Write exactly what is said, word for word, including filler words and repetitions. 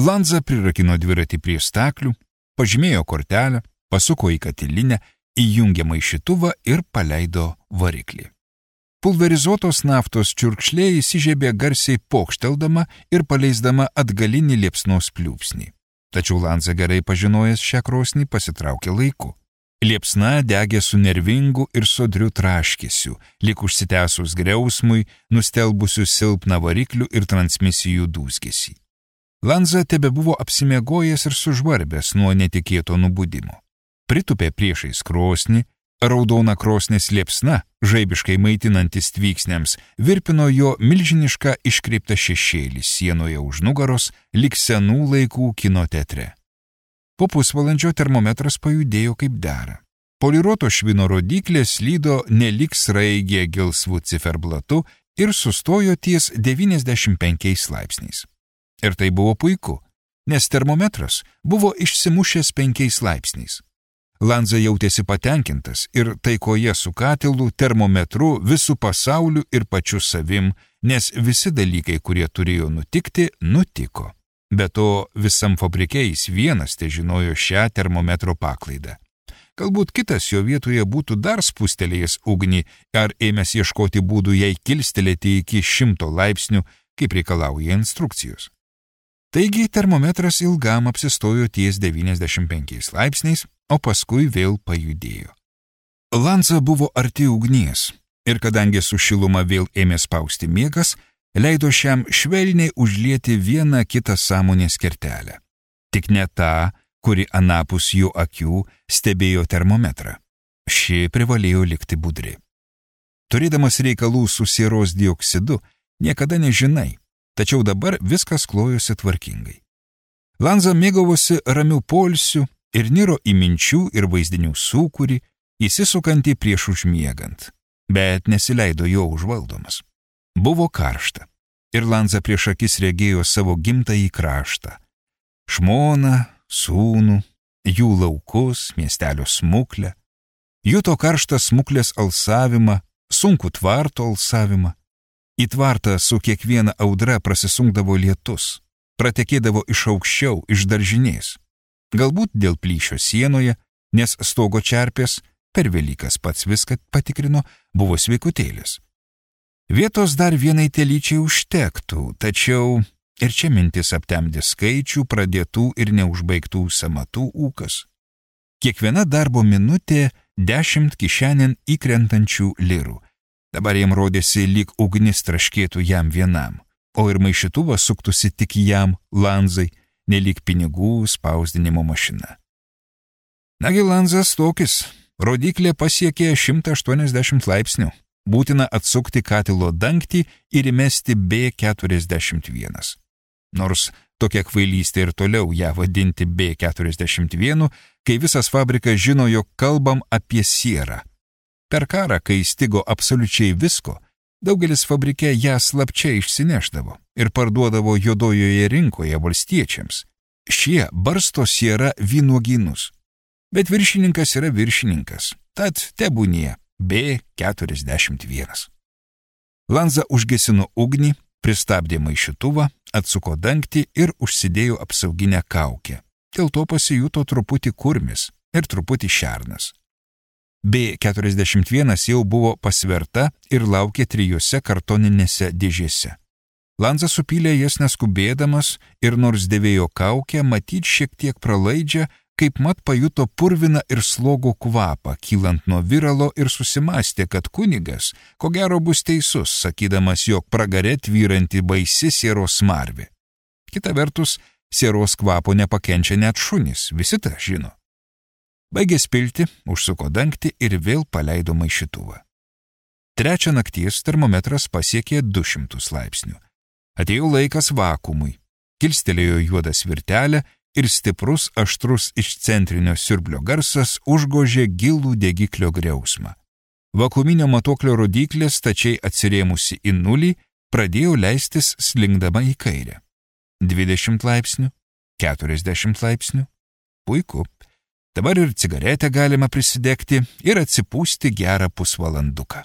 Lanza prirakino dviratį prie staklių, pažymėjo kortelę, pasuko į katilinę, įjungė maišytuvą ir paleido variklį. Pulverizuotos naftos čiurkšlė įsižiebė garsiai pokšteldama ir paleisdama atgalinį liepsnos pliūpsnį. Tačiau Lanza gerai pažinojęs šią krosnį pasitraukė laiku. Liepsna degė su nervingu ir sodriu traškesiu, lyg užsitęsus griausmui, nustelbusiu silpną variklių ir transmisijų dūzgesį. Lanza tebebuvo apsimiegojęs ir sužvarbęs nuo netikėto nubudimo. Pritupė priešais krosnį, raudona krosnės liepsna, žaibiškai maitinantis tvyksniams, virpino jo milžinišką iškreiptą šešėlį sienoje už nugaros, lyg senų laikų kino teatre. Po pusvalandžio termometras pajudėjo kaip dera. Poliruoto švino rodyklė slydo nelyg sraigė gelsvų ciferblatu ir sustojo ties devyniasdešimt penkiais laipsniais. Ir tai buvo puiku, nes termometras buvo išsimušęs penkiais laipsniais. Lanza jautėsi patenkintas ir taikoje su katilu, termometru, visų pasauliu ir pačiu savim, nes visi dalykai, kurie turėjo nutikti, nutiko. Be to, visam fabrike jis vienas te žinojo šią termometro paklaidą. Galbūt kitas jo vietoje būtų dar spustelėjęs ugnį ar ėmęs ieškoti būdų jai kilstelėti iki šimto laipsnių, kaip reikalauja instrukcijos. Taigi termometras ilgam apsistojo ties devyniasdešimt penkiais laipsniais, o paskui vėl pajudėjo. Lanza buvo arti ugnies ir kadangi su šiluma vėl ėmė spausti miegas, leido šiam švelniai užlieti vieną kitą sąmonės kertelę. Tik ne tą, kuri anapus jų akių stebėjo termometrą. Ši privalėjo likti budri. Turėdamas reikalų su sieros dioksidu, niekada nežinai, tačiau dabar viskas klojosi tvarkingai. Lanza mėgavosi ramių poilsių ir niro į minčių ir vaizdinių sūkurį, įsisukantį prieš užmiegant, bet nesileido jo užvaldomas. Buvo karšta, ir Lanza prieš akis regėjo savo gimtąjį kraštą. Žmoną, sūnų, jų laukus, miestelio smuklę. Juto karštą smuklės alsavimą, sunkų tvarto alsavimą. Į tvartą su kiekviena audra prasisunkdavo lietus, pratekėdavo iš aukščiau, iš daržinės. Galbūt dėl plyšio sienoje, nes stogo čerpės, per Velykas pats viską patikrino, buvo sveikutėlis. Vietos dar vienai telyčiai užtektų, tačiau ir čia mintis aptemdė skaičių, pradėtų ir neužbaigtų samatų ūkas. Kiekviena darbo minutė dešimt kišenėn įkrentančių lirų. Dabar jam rodėsi, lyg ugnis traškėtų jam vienam, o ir maišytuvas suktųsi tik jam, Lanzai, nelyg pinigų spausdinimo mašina. Nagi Lanzas tokis, rodiklė pasiekė šimtą aštuoniasdešimt laipsnių. Būtina atsukti katilo dangtį ir įmesti B keturiasdešimt vienas. Nors tokia kvailystė ir toliau ją vadinti B keturiasdešimt vienas, kai visas fabrikas žino, jog kalbam apie sierą. Per karą, kai stigo absoliučiai visko, daugelis fabrike ją slapčia išsineždavo ir parduodavo juodojoje rinkoje valstiečiams. Šie barsto sierą vynuogynus. Bet viršininkas yra viršininkas, tad tebūnie B keturiasdešimt vienas. Lanza užgesino ugnį, pristabdė maišytuvą, atsuko dangtį ir užsidėjo apsauginę kaukę. Dėl to pasijuto truputį kurmis ir truputį šernas. B keturiasdešimt vienas jau buvo pasverta ir laukė trijose kartoninėse dėžėse. Lanza supylė jas neskubėdamas ir nors dėvėjo kaukę, matyt šiek tiek pralaidžią, kaip mat pajuto purviną ir slogo kvapą, kylant nuo viralo ir susimastė, kad kunigas, ko gero bus teisus, sakydamas, jog pragare tvyranti baisi sieros smarvė. Kita vertus, sieros kvapo nepakenčia net šunys, visi tą žino. Baigė spilti, užsuko dangtį ir vėl paleido maišytuvą. Trečią nakties termometras pasiekė du šimtus laipsnių. Atėjo laikas vakuumui. Kilstelėjo juodą svirtelę ir stiprus, aštrus iš centrinio siurblio garsas užgožė gilų degiklio griausmą. Vakuuminio matuoklio rodyklė, stačiai atsirėmusi į nulį, pradėjo leistis slinkdama į kairę. dvidešimt laipsnių, keturiasdešimt laipsnių. Puiku. Dabar ir cigaretę galima prisidegti ir atsipūsti gerą pusvalanduką.